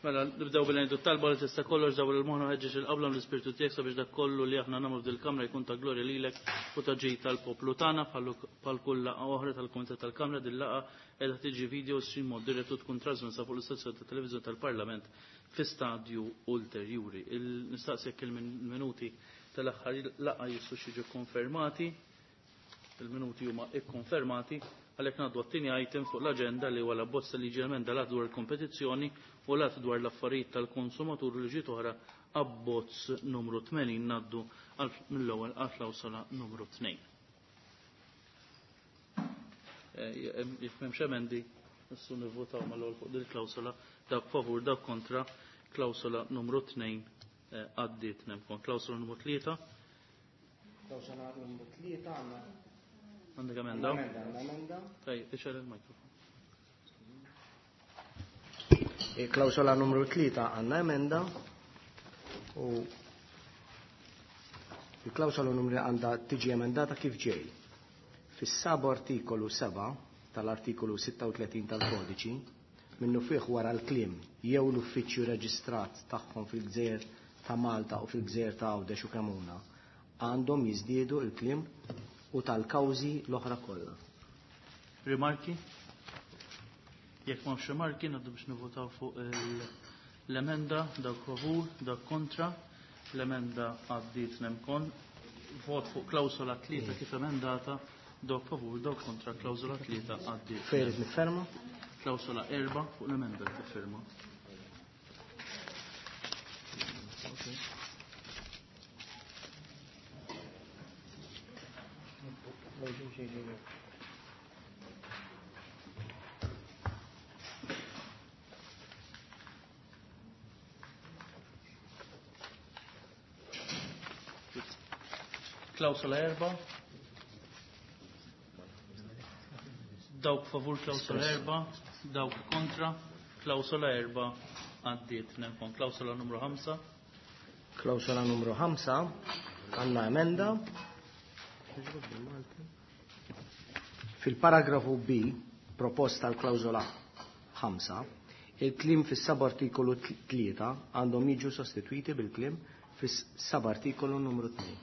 Mela, nibdew billi ngħidu talba li tista' kollox dawl il-moħħna ħeġġeġ il-qabla mill-Ispirtu tiegħek sabiex dak kollu li aħna nagħmlu f'dil-kamra jkun ta' glorja lilek u ta' ġid tal-poplu tagħna bħal kull laqgħa oħra tal-Kumitat tal-Kamra din laqgħa qiegħda tiġi video stream mod dirett u tkun trasmessa fuq l-istazzjon ta' televiżjoni tal-Parlament fi stadju ulterjuri. Nistaqsi jekk il-minuti tal-aħħar laqgħa jistgħux jiġu konfermati. Il-minuti huma ikkonfermati għalhekk ngħaddu għat-tieni item fuq l-aġenda li huwa l-abbozz ta' liġi emenda l-att dwar il-kompetizzjoni u l-att dwar l-affarijiet tal-konsumatur u liġijiet oħra abbozz numru 80 ngħaddu mill-ewwel għal klawsola numru 2. Eh, jekk m'hemmx emendi, nistgħu nivvotaw mal-ewwel fuq din il-klawsola dak favur dak kontra klawsola numru 2 eh, għaddiet nemkon. Klawsola numru 3 Klawsola numru 3 għandna. Għandek emenda? Għandna emenda. Tajjeb, ixgħel il-mikrofon. Klawsola numru 3 għandna emenda u il-klawsola numru għandha tiġi emendata kif ġej. Fis-sab artikolu 7 tal-artikolu 36 tal-kodiċi minnu fih wara l-kliem jew l-uffiċċju reġistrat tagħhom fil-gżejjer ta' Malta u fil-gżejjer ta' Għawdex u Kemuna għandhom jiżdiedu l-kliem u tal-kawżi l-oħra kollha. Rimarki? Jekk m'hawnx rimarki ngħaddu biex nivvotaw fuq l-emenda dak favur, dak kontra. L-emenda għaddiet nemkon. Vot fuq klawsola tlieta kif emendata, dawk favur, dawk kontra, klawsola tlieta għaddiet. Fejn irid nifferma? Klawsola erba' fuq l-emenda tiffirma. Klawsola erba'. Dawk favur klawsola erba', dawk kontra, klawsola erba' għaddiet nemkon. Klawsola numru 5. Klawsola numru 5 għandna emenda. Fil-paragrafu B, proposta l-klawsola 5, il-kliem fis-subartikolu 3 għandhom jiġu sostitwiti bil-kliem fis-subartikolu numru 2.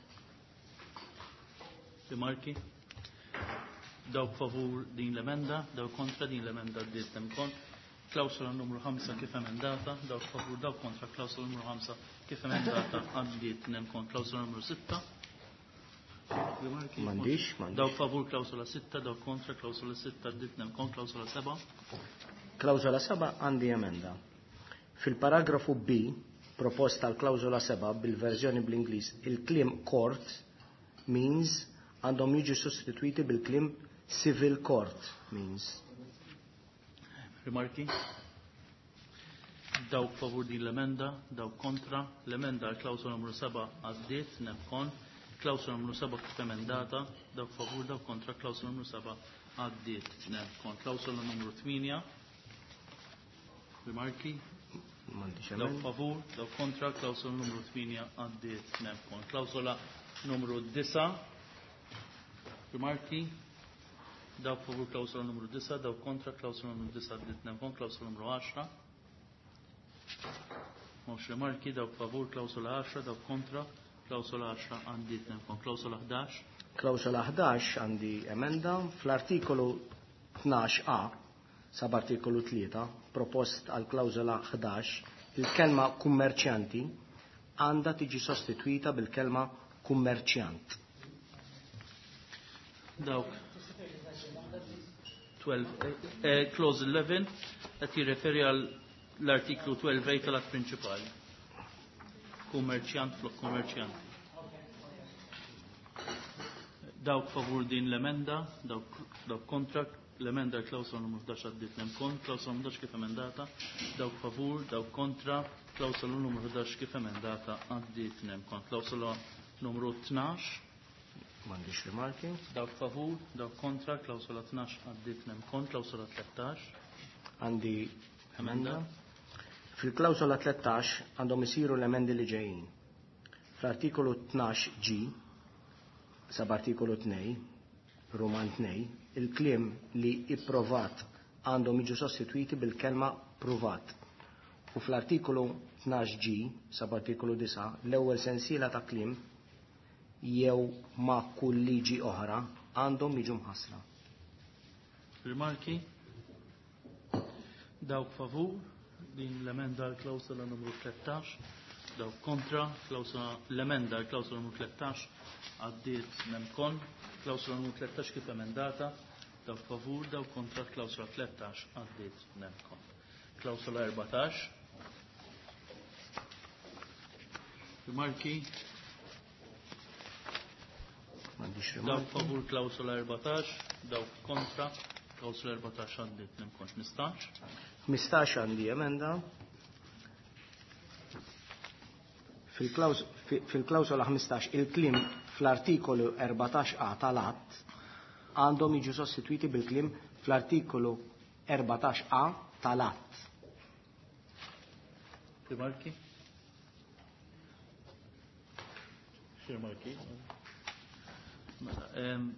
Rimarki? Dawk favur din l-emenda, dawk kontra din l-emenda għaddiet nemkon. Klawsola numru 5 kif emendata, dawk favur, dawk kontra, klawsola numru 5 kif emendata għaddiet nemkon. Klawsola numru 6. Rimarki? M'għandix, m'għandix. Dawk favur klawsola 6, dawk kontra, klawsola 6 għaddiet nemkon, klawsola 7. Klawsola 7 għandi emenda. Fil-paragrafu B, proposta l-klawsola 7 bil-verżjoni bl-Ingliż, il-kliem court means għandhom jiġu sostituiti bil-kliem civil court means. Rimarki? Dawk favur din l-emenda, dawk kontra, l-emenda għal klawsola numru 7 għaddiet, nemkon, klawsola numru 7 kif emendata, dawk favur, dawk kontra, klawsola numru 7 għaddiet, nemkon. Klawsola numru 8, rimarki? M'għandix Dawk emenda. favur, dawk kontra, klawsola numru 8 għaddiet, nemkon. Klawsola numru 9, rimarki? Dawk favur klawsola numru 9, dawk kontra, klawsola numru 9 għaddiet, nemkon, klawsola numru 10. Mhux rimarki, dawk favur, klawsola 10, dawk kontra, klawsola 10 għaddiet, nemkon. Klawsola 11. Klawsola 11 għandi emenda fl-artikolu 12a, subartikolu 3, propost għal klawsola 11, il-kelma kummerċjanti għandha tiġi sostitwita bil-kelma kummerċjant. Dawk 12, clause 11 qed jirreferi għal l-artiklu 12 A tal-att prinċipali. Kummerċjant flok kummerċjanti. Dawk favur din l-emenda, dawk, dawk kontra, l-emenda klawsola numru 11 għaddiet nemkon, klawsola numru 11 kif emendata, dawk favur, dawk kontra, klawsola numru 11 kif emendata għaddiet nemkon. Klawsola numru 12. M'għandix rimarki. Dawk favur, dawk kontra, klawsola 12 għaddiet nemkon, klawsola 13. Għandi emenda. Fil-klawsola 13 għandhom isiru l-emendi li ġejjin. Fl-artikolu 12 G, subartikolu 2, Roman 2, il-kliem li ipprovat għandhom jiġu sostitwiti bil-kelma pruvat. U fl-artikolu 12G, subartikolu 9, l-ewwel sensiela ta' kliem jew ma' kull liġi oħra għandhom jiġu mħassra. Rimarki? Dawk favur din l-emenda l-klawsola numru 13, dawk kontra l-emenda l-klawsola numru 13 għaddiet nemkon, klawsola numru 13 kif emendata, dawk favur, dawk kontra klawsola 13 għaddiet nemkon. Klawsola 14. Rimarki? M'għandix Dawk rimarki. favur klawsola 14, dawk kontra, klawsola 14 għaddiet nemkon. 15. 15 għandi emenda. Fil-klawsola 15 il-kliem fl-artikolu 14a tal-att għandhom jiġu sostitwiti bil-kliem fl-artikolu 14a tal-att. Rimarki? Xi rimarki? Mela,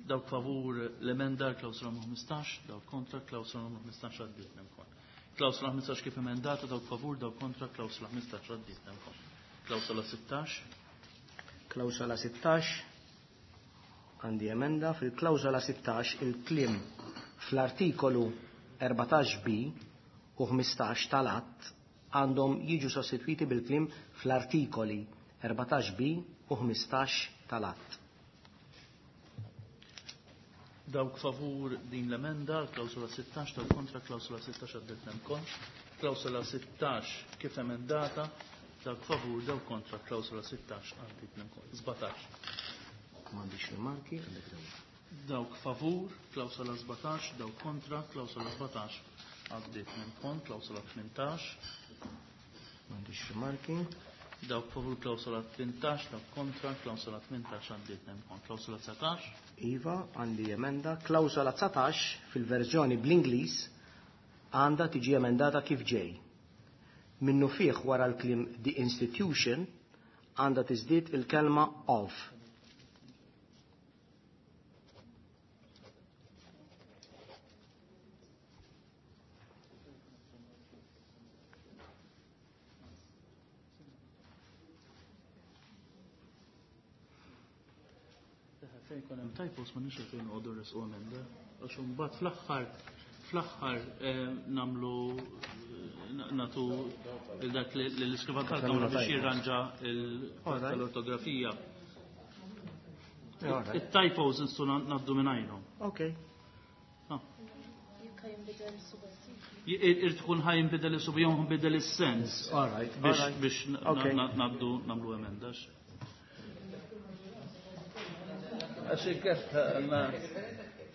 dawk favur l-emenda klawsola numru 15, dawk kontra klawsola numru 15 għaddiet nemkon. Klawsola 15 kif emendata, dawk favur, dawk kontra, klawsola 15 għaddiet nemkon. Klawsola 16. Klawsola 16 għandi emenda. Fil-klawsola 16 il-kliem fl-artikolu 14b u 15 tal-att għandhom jiġu sostitwiti bil-kliem fl-artikoli 14b u 15 tal-att. Dawk favur din l-emenda, klawsola 16, dawk kontra, klawsola 16 għaddiet nemkon. Klawsola 16 kif emendata, dawk favur, dawk kontra, klawsola 16 għaddiet nemkon. 17. M'għandix rimarki, għandek dawn. Dawk favur, klawsola 17, dawk kontra, klawsola 17 għaddiet nemkon, klawsola 18. M'għandix rimarki. Dawk favur klawsola 18, dawk kontra, klawsola 18 għaddiet nemkon. Klawsola 19. Iva, għandi emenda. Klawsola 19 fil-verżjoni bl-Ingliż għandha tiġi emendata kif ġej. Minnu fih wara l-kliem the institution għandha tiżdied il-kelma of. Fejn ikun hemm typos ma nix fejn noqogħdu nresqu emenda. Għax imbagħad fl-aħħar nagħmlu nagħtu dak li l-iskrivan tal-Kamra biex jirranġa l-ortografija. It-typos nistgħu ngħaddu minn għajnhom. Okay. Jekk jinbidel is-subantiv. Irid tkun ħaj jinbidel is-sub jew jinbidel is-sens. All right, all Biex right. Okay. ngħaddu nagħmlu emenda. Għax inkella għandna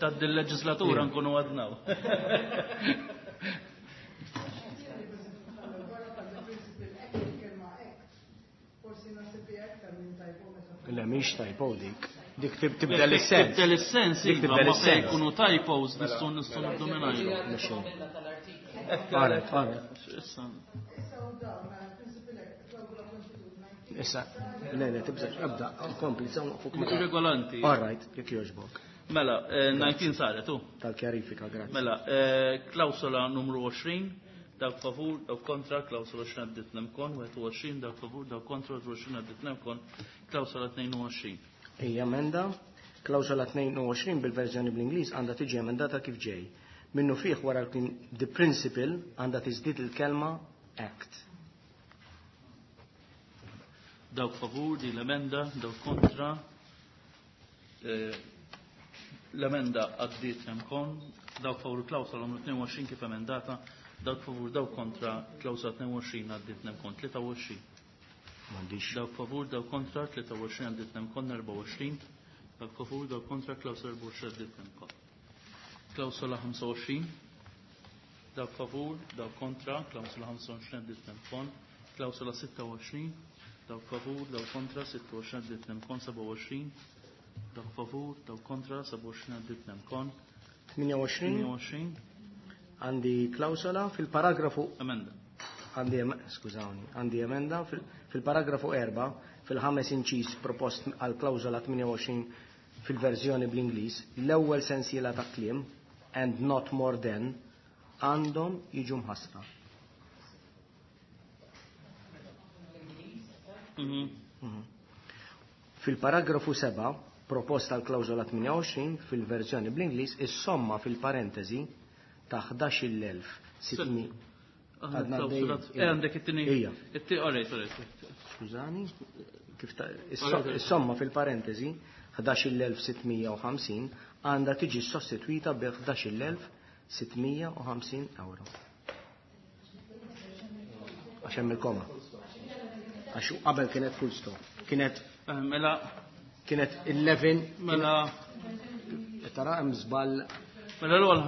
tgħaddi l-leġislatura nkunu għadnaw. Le, mhix typo dik. Dik tibdel is-sens. Tibdel is-sens, Dik iva, tibdel ma fejn is-sens. ikunu typos nistgħu nibdu minn għajru. All right, all right. Issa. Issa, le, tibżax, ebda, kompli, sa fuq meta. Regolanti. All right, jekk jogħġbok. Mela, 19 saret, u. Tal-kjarifika, grazzi. Mela, klawsola numru 20, dawk favur, dawk kontra, klawsola 20 għaddit nemkon, 21, dawk favur, dawk kontra, 21 għaddit nemkon, klawsola 22. Ejja, emenda, klawsola 22 bil-verżjoni bl-Ingliż għandha tiġi emendata kif ġej. Minnu fih wara l-kliem the principle għandha tiżdied il-kelma act. Dawk favur di l-emenda, dawk kontra. L-emenda għaddiet nemkon, dawk favur klawsola numru 22 kif emendata, dawk favur, dawk kontra, klawsola 22 għaddiet nemkon, 23. M'għandix. Dawk favur, dawk kontra, 23 għaddiet nemkon, 24. Dawk favur, dawk kontra, klawsola 24 għaddiet nemkon. Klawsola 25. Dawk favur, dawk kontra, klawsola 25 għaddiet nemkon, klawsola 26. Dawk favur, dawk kontra, 26 għaddiet nemkon, 27. Dawk favur, dawk kontra, 27 għaddiet nemkon. 28. 28. Għandi klawsola fil-paragrafu Emenda. Għandi skużawni, għandi emenda fil-paragrafu 4, fil-ħames inċis propost għal klawsola 28 fil-verżjoni bl-Ingliż, l-ewwel sensiela ta' kliem and not more than għandhom jiġu mħassra. Fil-paragrafu 7, proposta l-klawżola 28 fil-verżjoni bl-Ingliż, is-somma fil-parentesi ta' 11,600. Għandna Għadna klawsola. għaddejjin. Għandek it-tieni. Ija. Alright, alright. Skużani, kif ta' is-somma fil-parentesi 11,650 għandha tiġi sostitwita bi 11,650 euro. Għax hemm il-koma. Għax qabel kienet full stop. Kienet Mela kienet 11 mela tara hemm żball. Mela l-ewwel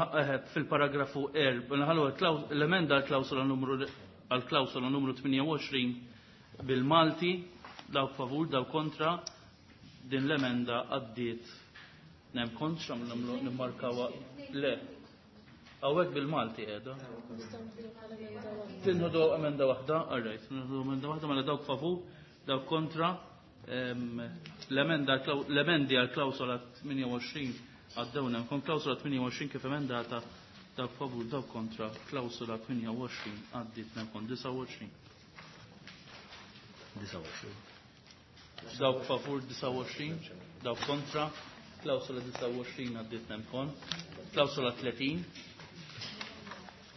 fil-paragrafu 4, mela ħallu l-emenda għall-klawsola numru 28 bil-Malti, dawk favur, dawk kontra, din l-emenda għaddiet. Nem kontra, nagħmlu nimmarkaw le. Hawnhekk bil-Malti qiegħda. Tinħodu emenda waħda, all right, nieħdu emenda waħda, mela dawk favur, dawk kontra, l-emendi għal klawsola 28 għaddew kon klawsola 28 kif emendata, dawk favur, dawk kontra, klawsola 28 għaddiet kon 29. 29. Dawk favur 29, dawk kontra, klawsola 29 għaddiet kon, klawsola 30.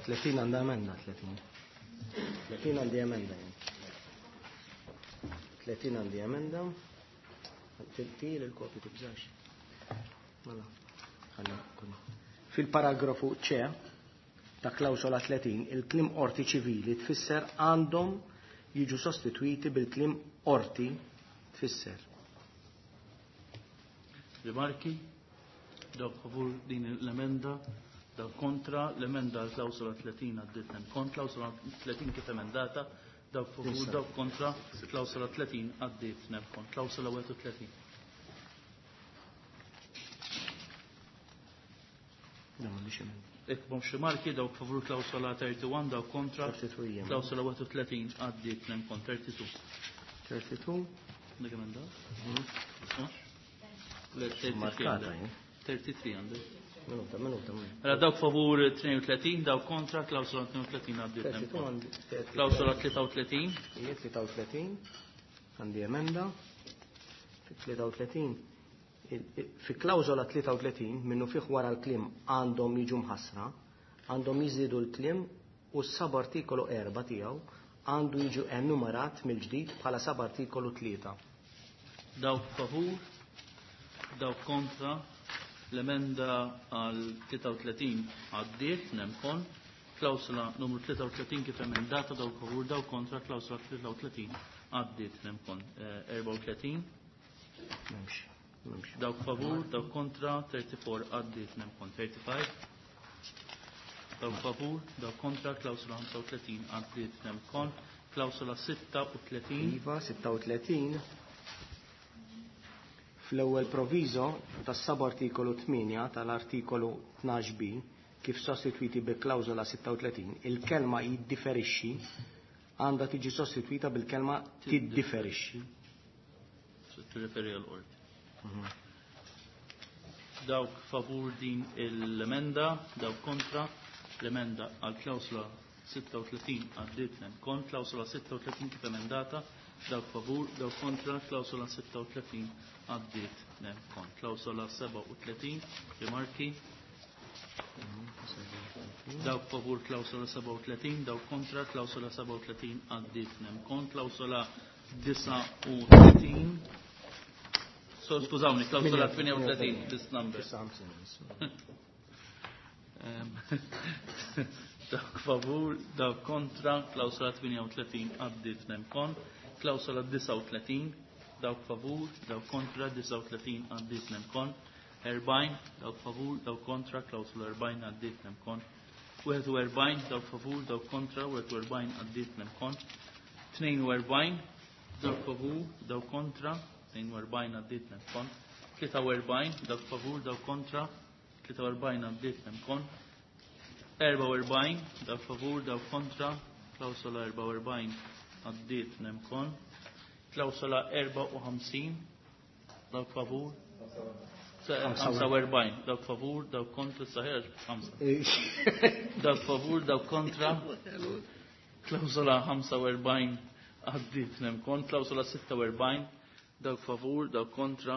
30 għandha emenda, 30. 30 għandi emenda jien. 30 għandi emenda. Tir il-kopju tibżax. Mela, ħalli kun. Fil-paragrafu C ta' klawsola 30, il-kliem qorti ċivili tfisser għandhom jiġu sostitwiti bil-kliem qorti tfisser. Rimarki, dawk favur din l-emenda, dawk kontra, l-emenda għal klawsola 30 għaddiet kon, klawsola 30 kif emendata, dawk favur, Issa. dawk kontra, klawsola 30 għaddiet kon, klawsola 31. Da m'għandix emenda. Jekk m'hemmx rimarki, dawk favur klawsola 31, dawk kontra, 32 hija. klawsola 31 għaddiet kon, 32. 32. Dik emenda? Le, 33 Markata għandek. jien. 33 għandek. Minuta, minuta, minuta. Mela dawk favur 32, dawk kontra, klawsola 32 għaddiet 32 kon. għandi. Klawsola 33, Hija 33 għandi emenda. Fi 33 fi klawżola 33 minnu fih wara l-kliem għandhom jiġu mħassra, għandhom jiżdiedu l-kliem u s-sab artikolu 4 tiegħu għandu jiġu enumerat mill-ġdid bħala sab artikolu 3. Dawk favur, dawk kontra, l-emenda għal 33 għaddiet, nemkon, klawsola numru 33 kif emendata, dawk favur, dawk kontra, klawsola 33 għaddiet, nemkon, 34, M'hemmx, m'hemmx. dawk favur, dawk kontra, 34 għaddiet, nemkon, 35, dawk favur, dawk kontra, klawsola 35 għaddiet, nemkon, klawsola 36, Iva, 36. Fl-ewwel proviso tas-sab artikolu 8 tal-artikolu 12b kif sostitwiti bi klawżola 36, il-kelma jiddifferixxi għandha tiġi sostitwita bil-kelma tiddifferixxi. Tirreferi għal qorti. Dawk favur din l-emenda, dawk kontra, l-emenda għal klawsola 36 għaddiet kon, klawsola 36 kif emendata, dawk favur, dawk kontra, klawsola 36 għaddiet kon. Klawsola 37, rimarki, dawk favur klawsola 37, dawk kontra, klawsola 37 għaddiet kon, klawsola 39, so skużawni, klawsola 38, this number. Dawk favur, dawk kontra, klawsola 38 għaddiet kon, klawsola 39, dawk favur, dawk kontra, 39 għaddiet kon, 40, dawk favur, dawk kontra, klawsola 40 għaddiet kon, 41, dawk favur, dawk kontra, 41 għaddiet kon, 42, dawk favur, dawk kontra, 42 għaddiet kon, 43, dawk favur, dawk kontra, 43 għaddiet kon, 44, dawk favur, dawk kontra, klawsola 44 għaddiet kon, klawsola 54, dawk favur, 45, dawk favur, dawk kontra, saħir, 5. Dawk favur, dawk kontra. Klawsola 45 għaddit nemkon, klawsola 46, dawk favur, dawk kontra,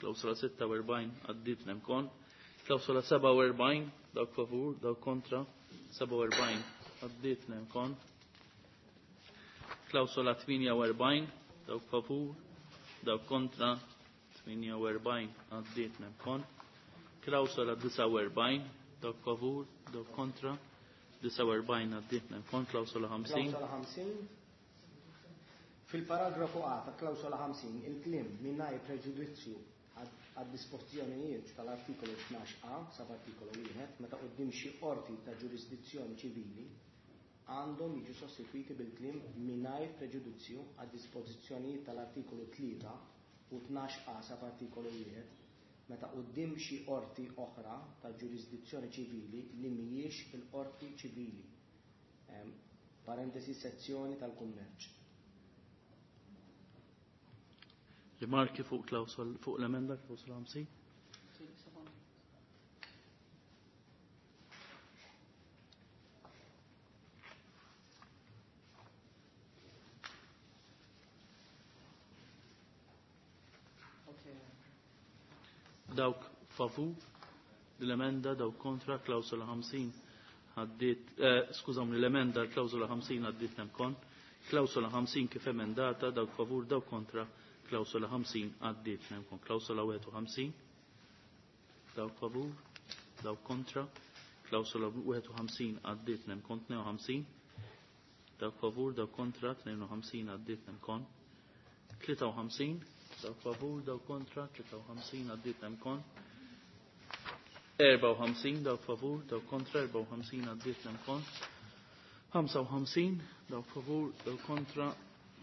klawsola 46 għaddit nemkon, klawsola 47, dawk favur, dawk kontra, 47 għaddit nemkon, klawsola 48, dawk favur, dawk kontra, 48 għaddiet nemkon, klawsola 49, dawk favur, dawk kontra, 49 għaddiet nemkon, klawsola 50. Klawsola 50. Fil-paragrafu A ta' klawsola 50, il-kliem mingħajr preġudizzju għad-dispożizzjonijiet tal-artikolu 12a, sub-artikolu 1, meta quddiem xi qorti ta' ġurisdizzjoni ċivili, għandhom jiġu sostitwiti bil-kliem mingħajr preġudizzju għad-dispożizzjonijiet tal-artikolu 3 u 12a sub-artikolu 1, meta quddiem xi qorti oħra ta' ġurisdizzjoni ċivili li mhijiex il-qorti ċivili. Parentesi sezzjoni tal-kummerċ. Rimarki fuq klawsol fuq l-emenda klawsola 50? Dawk favur l-emenda, dawk kontra klawsola 50 għaddit, skużawni, l-emenda klawsola 50 għaddit nemkon, klawsola 50 kif emendata, dawk favur, dawk kontra, klawsola 50 għaddit nemkon, klawsola 51, dawk favur, dawk kontra, klawsola 51 għaddit nemkon, 52, dawk favur, dawk kontra, 52 għaddit nemkon, 53, dawk favur, dawk kontra, 53 għaddit nemkon, 54 dawk favur, dawk kontra, 54 għaddit nemkon, 55 dawk favur, dawk kontra,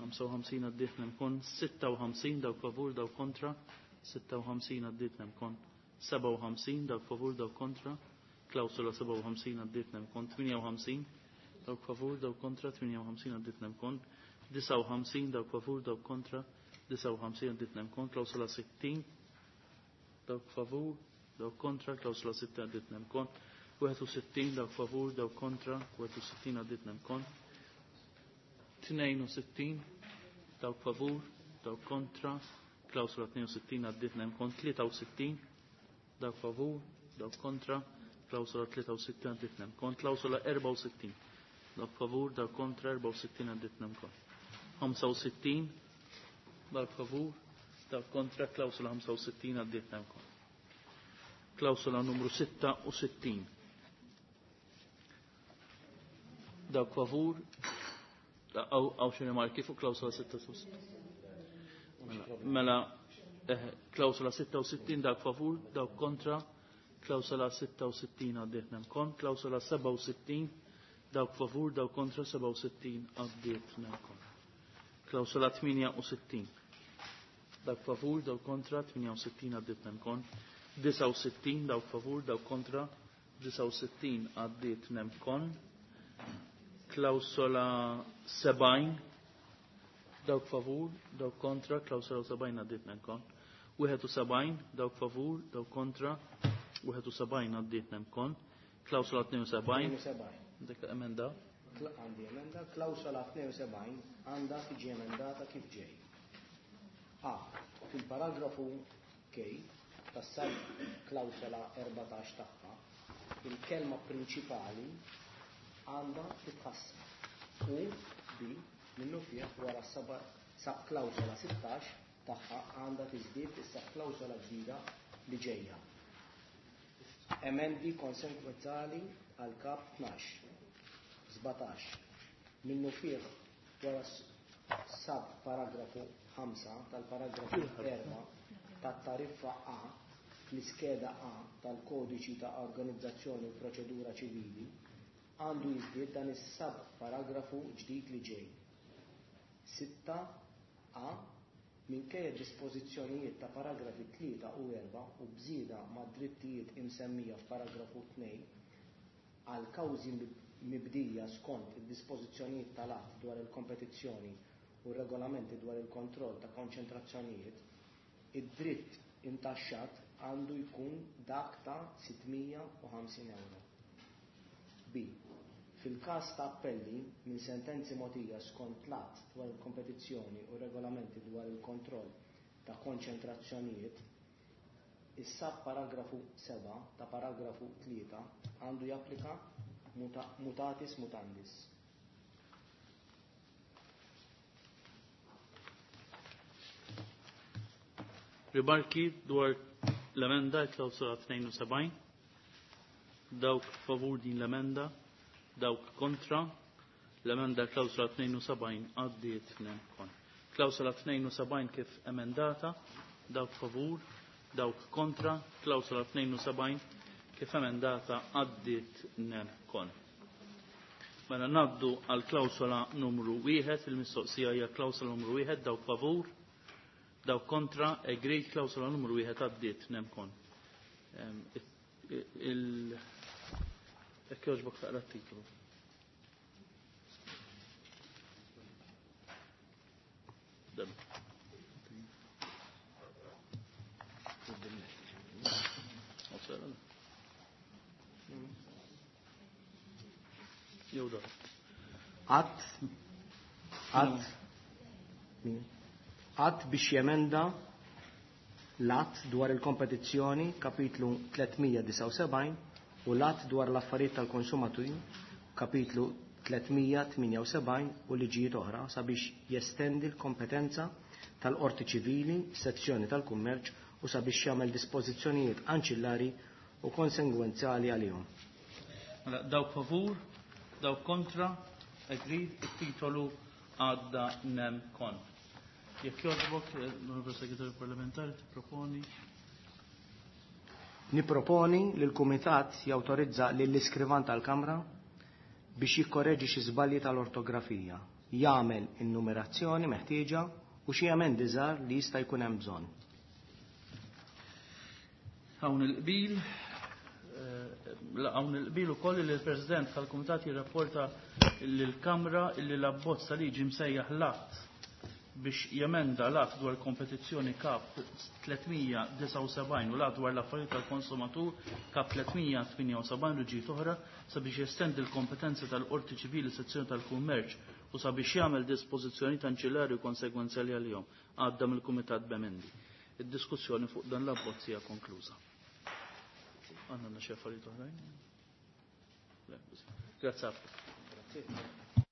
55 għaddit nemkon, 56 dawk favur, dawk kontra, 56 għaddit nemkon, 57 dawk favur, dawk kontra, klawsula 57 għaddit nemkon, 58 dawk favur, dawk kontra, 58 għaddit nemkon, 59 dawk favur, dawk kontra, 59 għaddit nemkon, klawsula 60 dawk favur, dawk kontra, klawsula 60 għaddit nemkon, 61 dawk favur, dawk kontra, 61 għaddit nemkon, 62 dawk favur, dawk kontra, klawsula 62 għaddit nemkon, 63 dawk favur, dawk kontra, klawsula 63 għaddit nemkon, klawsula 64 dawk favur, dawk kontra, 64 għaddit nemkon, 65 dawk favur, dawk kontra, klawsula 65 għaddit nemkon. Klawsula numru 66. Dawk favur, għaw xi rimarki fuq klawsula 66. Mela, klawsula 66 dawk favur, dawk kontra, klawsula 66 għaddiet nemkon, klawsula 67 dawk favur, dawk kontra, 67 għaddiet nemkon. Klawsula 68 dawk favur, dawk kontra, 68 għaddiet nemkon, 69 dawk favur, dawk kontra, 69 għaddiet nemkon, klawsola 70 dawk favur, dawk kontra, klawsola 70 għaddiet nemkon, 71 dawk favur, dawk kontra, 71 għaddiet nemkon, klawsola 72, 72. dik emenda, Għandi emenda, klawsola 72 għandha tiġi emendata kif ġej. A. Fil-paragrafu K tas-sub klawsola 14 tagħha, il-kelma prinċipali għandha titħassar. U B. Minnu fih wara sub klawsola 16 tagħha għandha tiżdied is-sub klawsola ġdida li ġejja. Emendi konsekwenzali għal kap 12, 17. Minnu fih wara sub paragrafu 5 tal-paragrafu 4 tat-tariffa A fl-iskeda A tal-kodiċi ta' organizzazzjoni u proċedura ċivili għandu jiżdied dan is-sub paragrafu ġdid li ġej. 6 A minkejja dispożizzjonijiet ta' paragrafi 3 u 4 u bżieda ma' drittijiet imsemmija f'paragrafu 2 għal kawżi mibdija skont id-dispożizzjonijiet tal-att dwar il-kompetizzjoni u regolamenti dwar il-kontroll ta' konċentrazzjonijiet, id-dritt intaxxat għandu jkun dak ta' 650 euro. B. Fil-każ ta' appelli minn sentenzi mogħtija skont l-Att dwar il-Kompetizzjoni u regolamenti dwar il-kontroll ta' konċentrazzjonijiet, is-subparagrafu 7 ta' paragrafu 3 għandu japplika mutatis mutandis. Rimarki dwar l-emenda klawsola 72. Dawk favur din l-emenda, dawk kontra, l-emenda klawsola 72 għaddiet kon. Klawsola 72 kif emendata, dawk favur, dawk kontra, klawsola 72 kif emendata għaddiet kon. Mela naddu għal klawsola numru 1, il-mistoqsija hija klawsola numru 1, dawk favur, dawk kontra, agreed klawsola numru 1 għaddiet nemkon. Il Jekk jogħġbok taqra t-titlu. Dan. Jew da. Att att att biex jemenda l-att dwar il-kompetizzjoni kapitlu 379 u l-att dwar l-affarijiet tal-konsumaturi kapitlu 378 u liġijiet oħra sabiex jestendi l-kompetenza tal-Qorti Ċivili, sezzjoni tal-Kummerċ u sabiex jagħmel dispożizzjonijiet anċillari u konsegwenzjali għalihom. Mela, dawk favur, dawk kontra, agreed, it-titolu għadda nem kon. Jekk jogħġbok, l-Onorevole Segretarju Parlamentari, tipproponi. Niproponi li l-Kumitat jawtorizza lill-iskrivan tal-Kamra biex jikkoreġi xi żbalji tal-ortografija, jagħmel in-numerazzjoni meħtieġa u xi emendi żgħar li jista' jkun hemm bżonn. Hawn il-qbil, hawn il-qbil ukoll li l-President tal-Kumitat jirrapporta lill-Kamra li l-abbozz ta' liġi msejjaħ l-att biex jemenda l-att dwar kompetizzjoni kap 379 u l-att dwar l-affarijiet tal-konsumatur kap 378 liġijiet oħra sabiex jestendi l-kompetenza tal-Qorti Ċivili sezzjoni tal-Kummerċ u sabiex jagħmel dispożizzjonijiet anċillari u konsegwenzjali għalihom għadda mill-Kumitat b'emendi. Id-diskussjoni fuq dan l-abbozz hija konkluża. Għandna xi affarijiet oħrajn? Grazzi. Grazie.